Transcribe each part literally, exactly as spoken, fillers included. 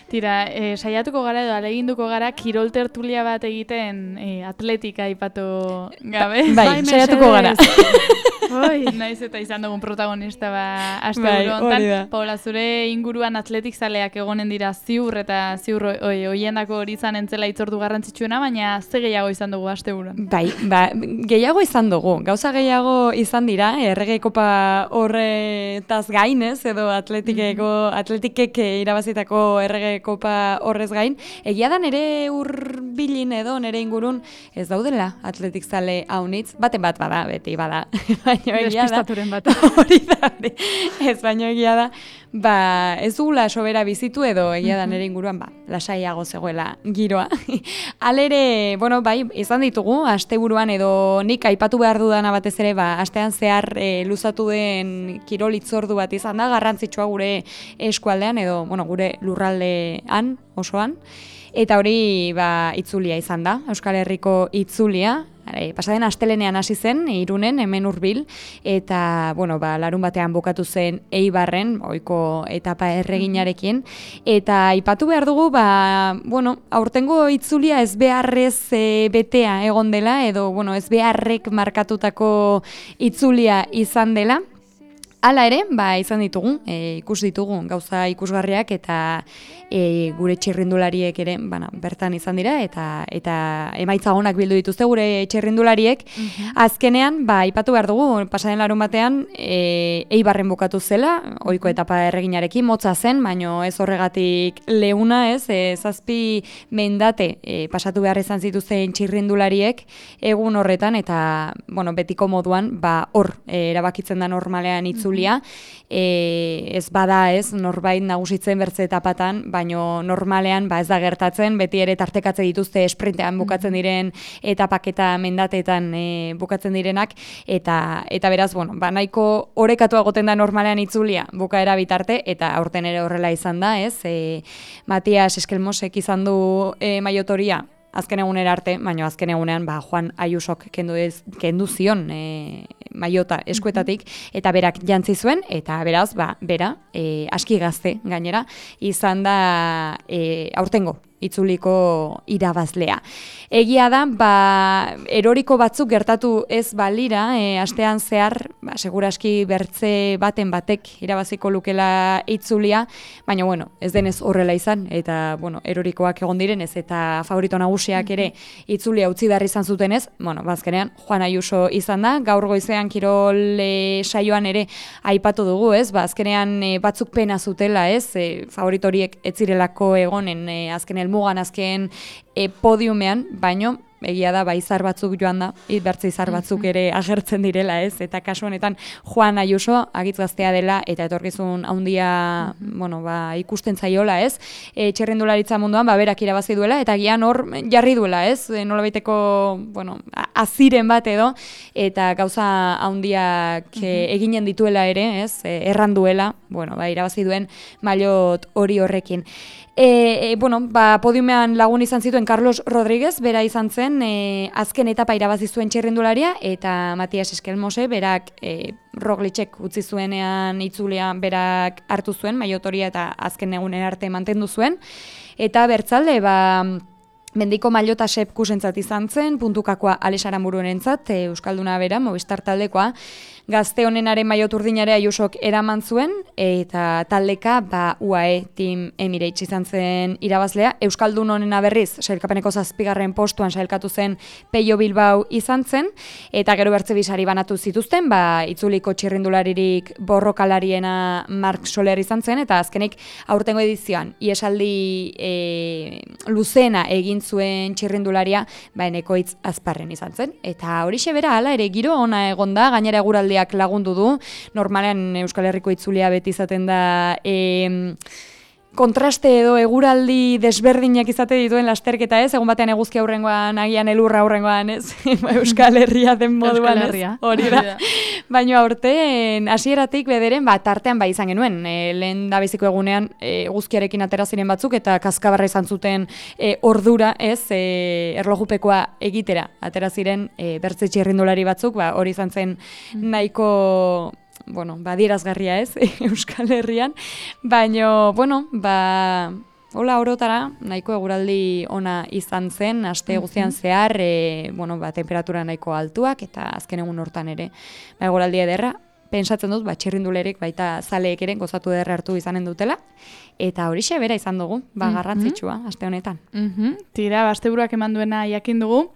Tira, e, saiatuko gara edo aleginduko gara kirol tertulia bat egiten e, atletika aipatu gabe. Bai, saiatuko gara. Oi, naiz eta izan dugun protagonista ba asteburu bai, hontan. Paula, zure inguruan atletik zaleak egonen dira ziur eta ziur oi, hoiendako hori izan entzela itzordu garrantzitsuena, baina ze gehiago izan dugu asteburuan? Bai, ba, gehiago izan dugu. Gauza gehiago izan dira, errege kopa horretaz gainez, edo atletikeko, atletikek irabazitako errege kopa horrez gain. Egia da nere hurbilin edo nere ingurun ez daudela atletik zale haunitz, baten bat bada, beti bada. Baino egia da. Bat. Hori da, hori. Ez baino egia da. Ba, ez dugula sobera bizitu edo egia da nere inguruan, ba, lasaiago zegoela giroa. Alere, bueno, bai, izan ditugu, asteburuan edo nik aipatu behar dudana batez ere, ba, astean zehar e, luzatu den kirol hitzordu bat izan da, garrantzitsua gure eskualdean edo, bueno, gure lurraldean osoan. Eta hori ba, itzulia izan da, Euskal Herriko itzulia. E, pasaden astelenean hasi zen, Irunen, hemen hurbil, eta bueno, ba, larun batean bukatu zen Eibarren, ohiko etapa erreginarekin, eta aipatu behar dugu, ba, bueno, aurtengo itzulia ez beharrez e, betea egon dela, edo bueno, ez beharrek markatutako itzulia izan dela. Hala ere, ba, izan ditugu, e, ikus ditugu gauza ikusgarriak eta e, gure txirrindulariek ere bana, bertan izan dira eta eta emaitza onak bildu dituzte gure txirrindulariek. Mm-hmm. Azkenean, ba, aipatu behar dugu, pasaden larun batean e, Eibarren bukatu zela, ohiko etapa erreginarekin motza zen, baino ez horregatik leuna ez, e, zazpi mendate e, pasatu behar izan zituzten txirrindulariek egun horretan eta bueno, betiko moduan ba, hor e, erabakitzen da normalean itzu E, ez bada ez, norbait nagusitzen bertze etapatan, baino normalean ba ez da gertatzen, beti ere tartekatze dituzte esprintean bukatzen diren etapak eta mendateetan e, bukatzen direnak, eta eta beraz, bueno, ba nahiko orekatua goten da normalean itzulia bukaera bitarte, eta aurten ere horrela izan da, ez, e, Matias Eskelmosek izan du e, maiotoria, azken egunera arte, baina azken egunean ba, Juan Ayusok kendu, ez, kendu zion e, maiota eskuetatik, eta berak jantzi zuen, eta beraz, ba, bera, e, aski gazte gainera, izan da e, aurtengo itzuliko irabazlea. Egia da, ba, eroriko batzuk gertatu ez balira, e, astean zehar, ba, seguraski bertze baten batek irabaziko lukela itzulia, baina, bueno, ez denez horrela izan, eta, bueno, erorikoak egon direnez, eta favorito nagusiak ere itzulia utzi behar izan zutenez, bueno, bazkenean, Juan Ayuso izan da, gaur goizean kirol e, saioan ere aipatu dugu, ez, ba, azkenean e, batzuk pena zutela, ez, e, favoritoriek ez zirelako egonen, e, azken mugan azken e, podiumean, baino egia da, ba, izar batzuk joan da, bertze izar batzuk ere agertzen direla, ez? Eta kasu honetan Juan Ayuso agitz gaztea dela eta etorkizun handia, bueno, ba, ikusten zaiola, ez? E, txirrindularitza munduan, ba, berak irabazi duela, eta gian hor jarri duela, ez? E, nolabaiteko, bueno, aziren bat edo, eta gauza handiak e, eginen dituela ere, ez? E, erran duela, bueno, ba, irabazi duen mailot hori horrekin. E, e, bueno, ba, podiumean lagun izan zituen Carlos Rodríguez, bera izan zen, e, azken etapa irabazi zuen txirrindularia, eta Matias Eskelmose, berak e, Roglicek utzi zuenean itzulean berak hartu zuen, maiotoria eta azken egunen arte mantendu zuen. Eta bertzalde, ba, Mendiko mailota sepkusentzat izan zen, puntukakoa Alex Aranbururentzat, e, Euskalduna bera, Movistar taldekoa, gazte honenaren maillot urdinare Ayusok eraman zuen, eta taldeka ba, U A E Team Emirates izan zen irabazlea. Euskaldun honena berriz, sailkapeneko zazpigarren postuan sailkatu zen Peio Bilbao izan zen, eta gero bertze bisari banatu zituzten, ba, itzuliko txirrindularirik borrokalariena Mark Soler izan zen, eta azkenik aurtengo edizioan, iesaldi e, luzena egin zuen txirrindularia, ba, Enekoitz Azparren izan zen. Eta horixe bera, hala ere giro ona egonda, gainera eguraldiak lagundu du, normalean Euskal Herriko itzulia beti izaten da e, kontraste edo eguraldi desberdinak izate dituen lasterketa, ez? Egun batean eguzki aurrengoan, agian elurra aurrengoan, ez? Euskal Herria den moduan, ez? Hori da. Baina aurten hasieratik bederen, ba, tartean ba izan genuen, e, lehen dabeziko egunean e, eguzkiarekin atera ziren batzuk, eta kaskabarra izan zuten e, ordura, ez? E, erlojupekoa egitera atera ziren e, bertze txirrindulari batzuk, ba, hori izan zen nahiko bueno, ba, adierazgarria ez, Euskal Herrian, baina, bueno, ba, hola orotara, nahiko eguraldi ona izan zen, aste guztian zehar, e, bueno, ba, temperatura nahiko altuak, eta azken egun hortan ere, ba, eguraldi ederra, pentsatzen dut, ba, txirrindulerek baita zaleek ere gozatu ederra hartu izanen dutela, eta horixe bera izan dugu, ba, garrantzitsua, aste honetan. Mm-hmm. Tira, ba, asteburuak eman duena jakin dugu,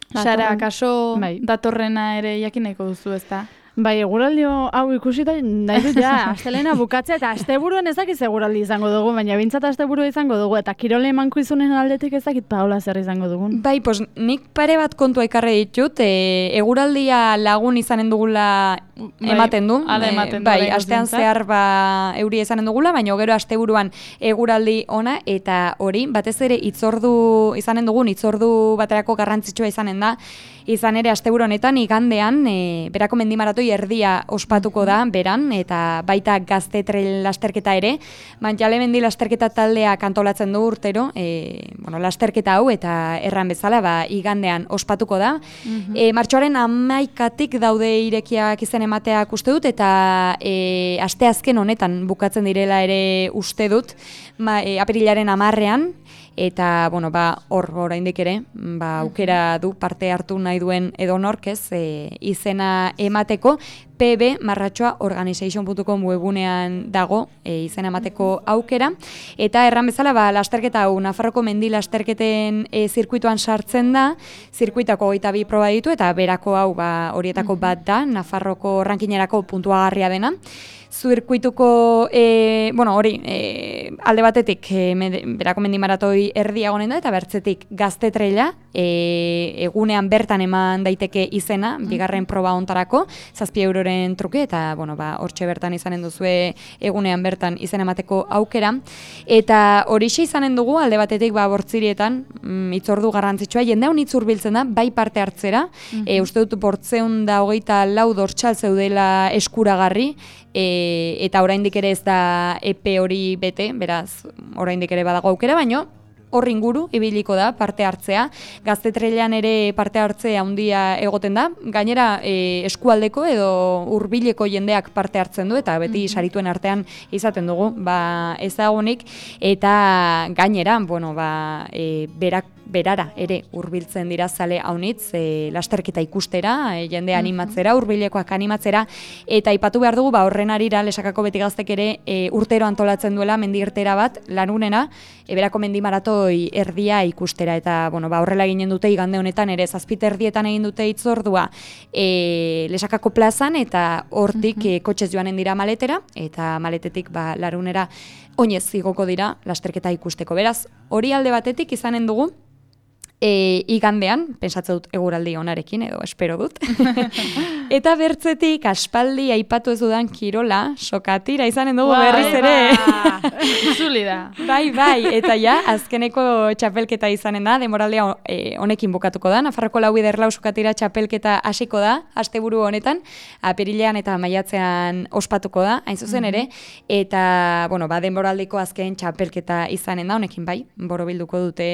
Sara, kaso bai. Datorrena ere jakin nahiko duzu, ezta? Bai, eguraldio hau ikusita nahi dut ja, astelena bukatzea eta asteburuan ez dakit eguraldi izango dugu, baina bintzat asteburua izango dugu, eta kirole emankizunen aldetik ez dakit Paola zer izango dugun. Bai, pos, nik pare bat kontua ekarri ditut, e, eguraldia lagun izanen dugula ematen du. Bai, ematen du. Bai, astean zehar ba, euri izanen dugula, baina gero asteburuan eguraldi ona, eta hori, batez ere itzordu izanen dugun, itzordu baterako garrantzitsua izanen da, izan ere asteburu honetan igandean e, berako mendimaratoi erdia ospatuko da beran, eta baita gazte trail lasterketa ere, Mantjale mendi lasterketa taldeak antolatzen du urtero, e, bueno, lasterketa hau eta erran bezala ba, igandean ospatuko da. Mm-hmm. e, martxoaren hamaikatik daude irekiak izen emateak uste dut, eta e, aste azken honetan bukatzen direla ere uste dut, ma, e, apirilaren hamarrean, eta bueno, ba, hor oraindik ere, ba, aukera du parte hartu nahi duen edonork, ez, e, izena emateko, p b marratxoa organization puntu com webunean dago e, izena emateko aukera, eta erran bezala ba, lasterketa hau Nafarroko mendi lasterketen e, zirkuituan sartzen da, zirkuitako hogeita bi proba ditu, eta berako hau ba, horietako bat da, Nafarroko rankinerako puntuagarria dena. Zirkuituko, e, bueno, hori, e, alde batetik e, med, berako mendimaratoi erdia gonen da, eta bertzetik gazte traila, e, egunean bertan eman daiteke izena, bigarren proba ontarako, zazpi euroren truke, eta, bueno, ba, hortxe bertan izanen duzue egunean bertan izena emateko aukera, eta horixe izanen dugu, alde batetik, ba, bortzirietan, mm, itzordu garrantzitsua, jende hon itzurbiltzen da, bai parte hartzera, mm-hmm. e, uste dut bortzeun da hogeita lau dortxal zeudela eskuragarri, E, eta oraindik ere ez da epe hori bete, beraz, oraindik ere badago aukera, baino hor inguru ibiliko da parte hartzea. Gazte trailean ere parte hartzea handia egoten da, gainera e, eskualdeko edo hurbileko jendeak parte hartzen du, eta beti sarituen artean izaten dugu, ba, ezagunik, eta gainera, bueno, ba, e, berak berara ere hurbiltzen dira zale haunitz, e, lasterketa ikustera, e, jende animatzera, hurbilekoak animatzera, eta aipatu behar dugu, ba, horren arira Lesakako Beti Gaztek ere e, urtero antolatzen duela mendirtera bat, lanunena, e, berako mendimaratoi erdia ikustera, eta bueno, ba, horrela eginen dute igande honetan ere, zazpite erdietan egin dute itzordua e, Lesakako plazan, eta hortik e, kotxez joanen dira maletera, eta maletetik ba, larunera oinez igoko dira lasterketa ikusteko. Beraz, hori alde batetik izanen dugu, E, igandean, pentsatzen dut eguraldi onarekin, edo espero dut. Eta bertzetik, aspaldi aipatu ez dudan kirola, sokatira izanen dugu berriz ere. Zuli da. Bai, bai, eta ja, azkeneko txapelketa izanen da, denboraldia e, honekin bukatuko da, Nafarroko lau bider lau sokatira txapelketa hasiko da, asteburu honetan, apirilean eta maiatzean ospatuko da, hain zuzen ere, eta, bueno, ba, denboraldiko azken txapelketa izanen da, honekin bai, borobilduko dute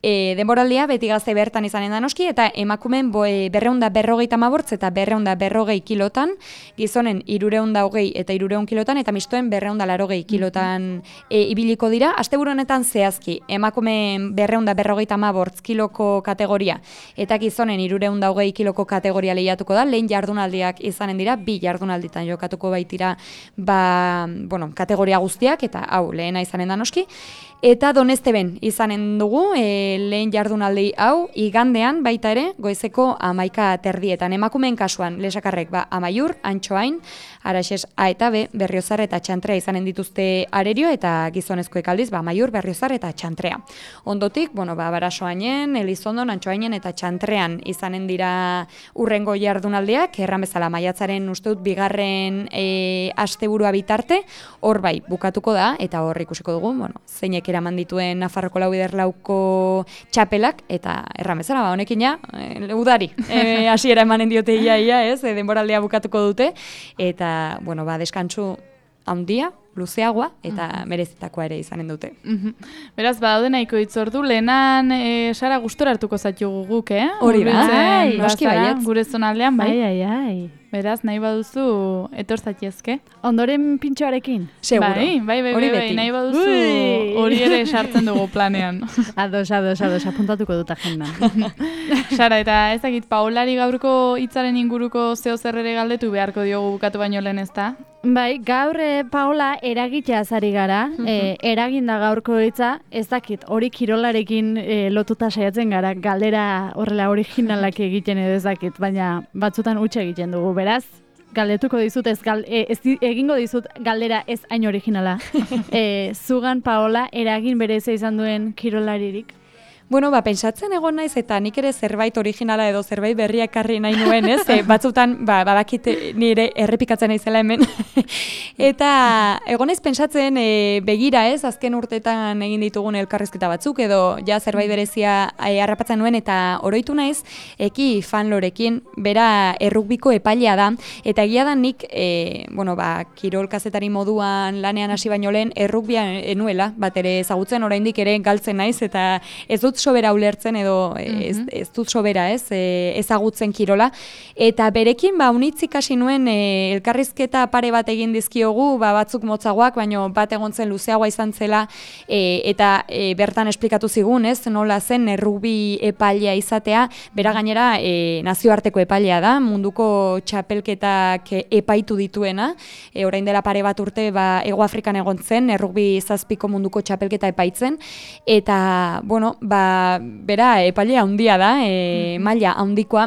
E, denboraldia beti gazte bertan izanen da noski, eta emakumen berreunda berrogeita mabortz eta berreunda berrogei kilotan, gizonen irureunda hogei eta irureun kilotan, eta mistoen berreunda larogei kilotan e, ibiliko dira. Asteburu honetan zehazki, emakumen berreunda berrogeita mabortz kiloko kategoria, eta gizonen irureunda hogei kiloko kategoria lehiatuko da, lehen jardunaldiak izanen dira, bi jardunalditan jokatuko baitira ba, bueno, kategoria guztiak, eta hau lehena izanen da noski. Eta Donesteben izanen dugu, e, lehen jardunaldi hau, igandean baita ere, goizeko amaika terdietan. Emakumeen kasuan, Lesakarrek ba, Amaiur, Antxoain, Araxes A eta B, Berriozar eta Txantrea izanen dituzte arerio, eta gizonezkoek aldiz, ba, Amaiur, Berriozar eta Txantrea. Ondotik, bueno, ba, Barasoainen, Elizondon, Antxoainen eta Txantrean izanen dira urrengo jardunaldiak, erran bezala maiatzaren uste dut bigarren e, asteburua bitarte, hor bai, bukatuko da, eta hor ikusiko dugu, bueno, zeinek eraman dituen Nafarroko lau bider lauko txapelak, eta erramezara, ba, honekin ja, e, udari, e, hasiera emanen diote ia, ia, ez, e, denboraldea bukatuko dute, eta, bueno, ba, deskantsu handia, luzeagoa, eta uh-huh. merezitakoa ere izanen dute. Uh-huh. Beraz, badaude nahiko itzordu, lehenan, e, Sara, gustora hartuko zaitugu guk, eh? Hori da, bai, noski baiet. Gure zonaldean, bai? Ai, ai, ai. Beraz, nahi baduzu etor zaitezke. Ondoren pintxoarekin. Seguro. Bai, bai, bai, Hori bai, beti. nahi baduzu Ui. hori ere sartzen dugu planean. Ados, ados, ados, apuntatuko dut agendan. Sara, eta ez dakit, Paolari gaurko hitzaren inguruko zeo zer ere galdetu beharko diogu bukatu baino lehen, ez da? Bai, gaur eh, Paola eragitea ari gara, eh, eraginda gaurko hitza, ez dakit, hori kirolarekin eh, lotuta saiatzen gara, galdera horrela originalak egiten edo ez dakit, baina batzutan utxe egiten dugu, beraz, galdetuko dizut, ez, gal, eh, ez di- egingo dizut galdera ez hain originala. eh, zugan Paola eragin berezia izan duen kirolaririk. Bueno, ba, pentsatzen egon naiz eta nik ere zerbait originala edo zerbait berria ekarri nahi nuen, ez? E, batzutan, ba, badakit nire errepikatzen naizela hemen. Eta egon naiz pentsatzen e, begira, ez? Azken urteetan egin ditugun elkarrizketa batzuk edo ja zerbait berezia e, harrapatzen nuen eta oroitu naiz Eki Fanlorekin, bera errugbiko epailea da eta egia da nik, e, bueno, ba, kirol kazetari moduan lanean hasi baino lehen errugbia enuela, bat ere ezagutzen oraindik ere galtzen naiz eta ez dut sobera ulertzen edo ez, ez dut sobera ez, e, ezagutzen kirola. Eta berekin ba, unitz ikasi nuen e, elkarrizketa pare bat egin dizkiogu, ba, batzuk motzagoak, baino bat egon zen luzeagoa izan zela e, eta e, bertan esplikatu zigun, ez, nola zen errugbi epailea izatea, bera gainera e, nazioarteko epailea da, munduko txapelketak epaitu dituena, e, orain dela pare bat urte ba, Hego Afrikan egon zen, errugbi zazpiko munduko txapelketa epaitzen, eta, bueno, ba, bera epailea handia da, e, maila handikoa,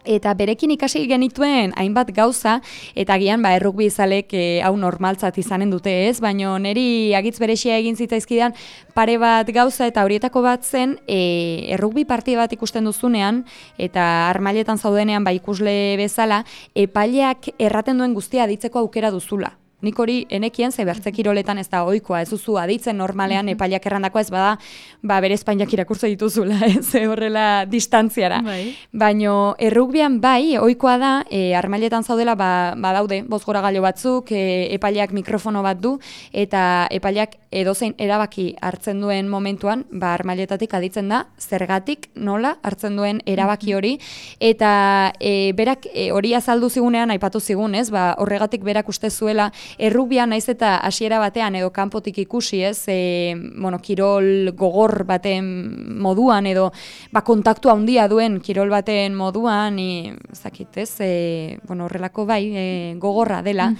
eta berekin ikasi genituen hainbat gauza, eta gian ba, errugbi izalek e, hau normaltzat izanen dute ez, baina niri agitz berexia egin zitzaizkidan pare bat gauza, eta horietako bat zen e, errugbi partida bat ikusten duzunean, eta armailetan zaudenean ba, ikusle bezala, epaileak erraten duen guztia aditzeko aukera duzula. Nik hori enekien ze bertze kiroletan ez da ohikoa, ez duzu aditzen normalean epailak errandakoa ez bada, ba bere espainiak irakurtze dituzula, ez horrela distantziara. Bai. Baino errugbian bai, ohikoa da, e, armailetan zaudela ba, badaude, bozgoragailu batzuk, e, epaileak mikrofono bat du, eta epaileak edozein erabaki hartzen duen momentuan, ba armailetatik aditzen da, zergatik, nola hartzen duen erabaki hori, eta e, berak e, hori azaldu zigunean, aipatu zigun, ez, ba horregatik berak uste zuela, errugbian naiz eta hasiera batean edo kanpotik ikusi, ez, e, bueno, kirol gogor baten moduan edo ba, kontaktua handia duen kirol baten moduan, ez dakit, ez, e, bueno, horrelako bai, e, gogorra dela,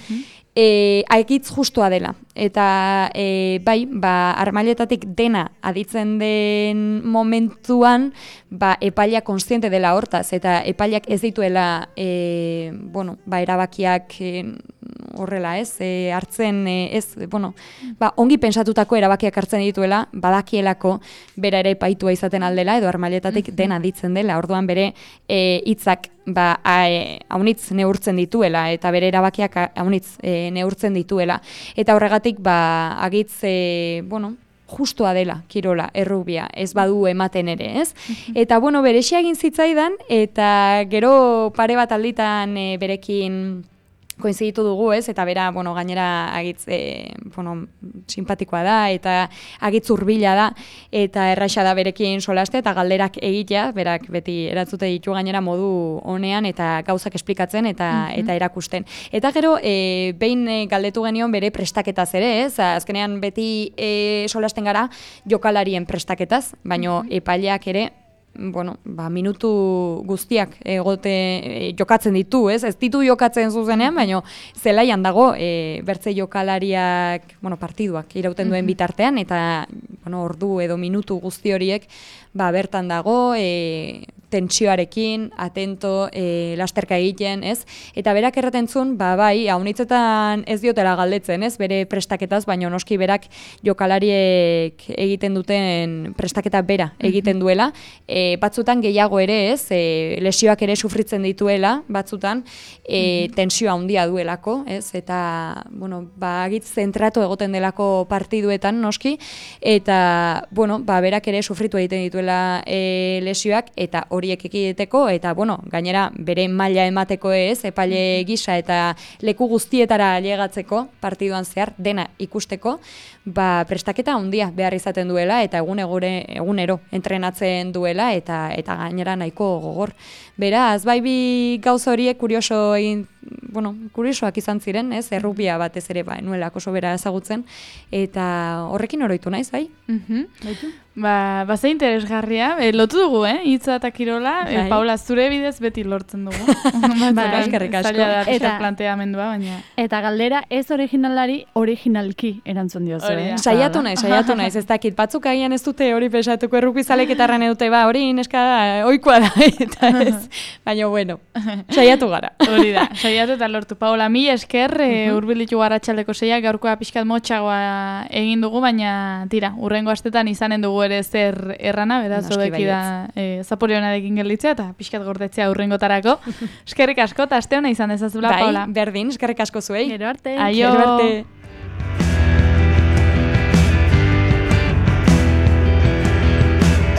e, aigitz justua dela. Eta e, bai, ba, armailetatik dena aditzen den momentuan, ba, epailak konstiente dela hortaz, eta epailak ez dituela e, bueno, ba, erabakiak e, horrela, ez, e, hartzen, e, ez, bueno, ba, ongi pentsatutako erabakiak hartzen dituela, badakielako bera ere epaitua izaten aldela, edo armailetatik dena aditzen dela, orduan bere e, hitzak ba, haunitz neurtzen dituela, eta bere erabakiak haunitz e, neurtzen dituela. Eta horregatik, ba, agitz, e, bueno, justua dela kirola, errugbia, ez badu ematen ere, ez? Eta, bueno, berexia egin zitzaidan, eta gero pare bat alditan e, berekin koinziditu dugu, ez? Eta bera, bueno, gainera agitz, e, bueno, simpatikoa da, eta agitz hurbila da, eta erraxa da berekin solaste, eta galderak egitea, berak beti erantzute ditu gainera modu honean, eta gauzak esplikatzen, eta mm-hmm. eta erakusten. Eta gero, e, behin e, galdetu genion bere prestaketaz ere, ez? Azkenean beti e, solasten gara jokalarien prestaketaz, baino mm-hmm. epaileak ere, bueno, ba, minutu guztiak egote e, jokatzen ditu, ez? Ez ditu jokatzen zuzenean, baina zelaian dago e, bertze jokalariak, bueno, partiduak irauten duen bitartean, eta bueno, ordu edo minutu guzti horiek ba, bertan dago, e, tentsioarekin, atento, e, lasterka egiten, ez? Eta berak erraten zuen, ba, bai, haunitzetan ez diotela galdetzen, ez? Bere prestaketaz, baina noski berak jokalariek egiten duten prestaketa bera egiten duela, e, batzutan gehiago ere, ez? E, lesioak ere sufritzen dituela, batzutan, e, tensioa handia duelako, ez? Eta, bueno, ba, agitz zentratu egoten delako partiduetan, noski, eta, bueno, ba, berak ere sufritu egiten dituela e, lesioak, eta horiek ekideteko, eta, bueno, gainera, bere maila emateko ez, epaile gisa eta leku guztietara ailegatzeko partiduan zehar, dena ikusteko, ba, prestaketa handia behar izaten duela, eta egun egure, egunero entrenatzen duela, eta eta gainera nahiko gogor. Beraz, bai bi gauza horiek kurioso egin, bueno, kuriosoak izan ziren, ez, errubia batez ere, ba, nuelako sobera ezagutzen, eta horrekin oroitu naiz, bai? Mhm. Ba, ba ze interesgarria, e, lotu dugu, eh, hitza eta kirola, e, Bai. Paula, zure bidez beti lortzen dugu. Bai, eskerrik asko. Zaila da pixka Eta- planteamendua, baina... Eta galdera ez originalari originalki erantzun diozu, Hori da. eh? Saiatu naiz, saiatu naiz, ez dakit, batzuk agian ez dute hori pesatuko errukbizalek eta erran edute, ba, hori neska da, ohikoa da, eta ez, baina bueno, saiatu gara. Hori da, saiatu eta lortu. Paola, mi esker, e, urbilitu garratxaldeko zeiak, gaurkoa pixkat motxagoa egin dugu, baina tira, urrengo astetan izanen dugu ere zer errana, beraz, Noski odeki da e, zaporionarekin gelditzea, eta pixkat gordetzea urrengotarako. Eskerrik asko, eta aste hona izan dezazula, Bai, Paola. berdin, eskerrik asko zuei. Gero arte. Aio. Gero arte.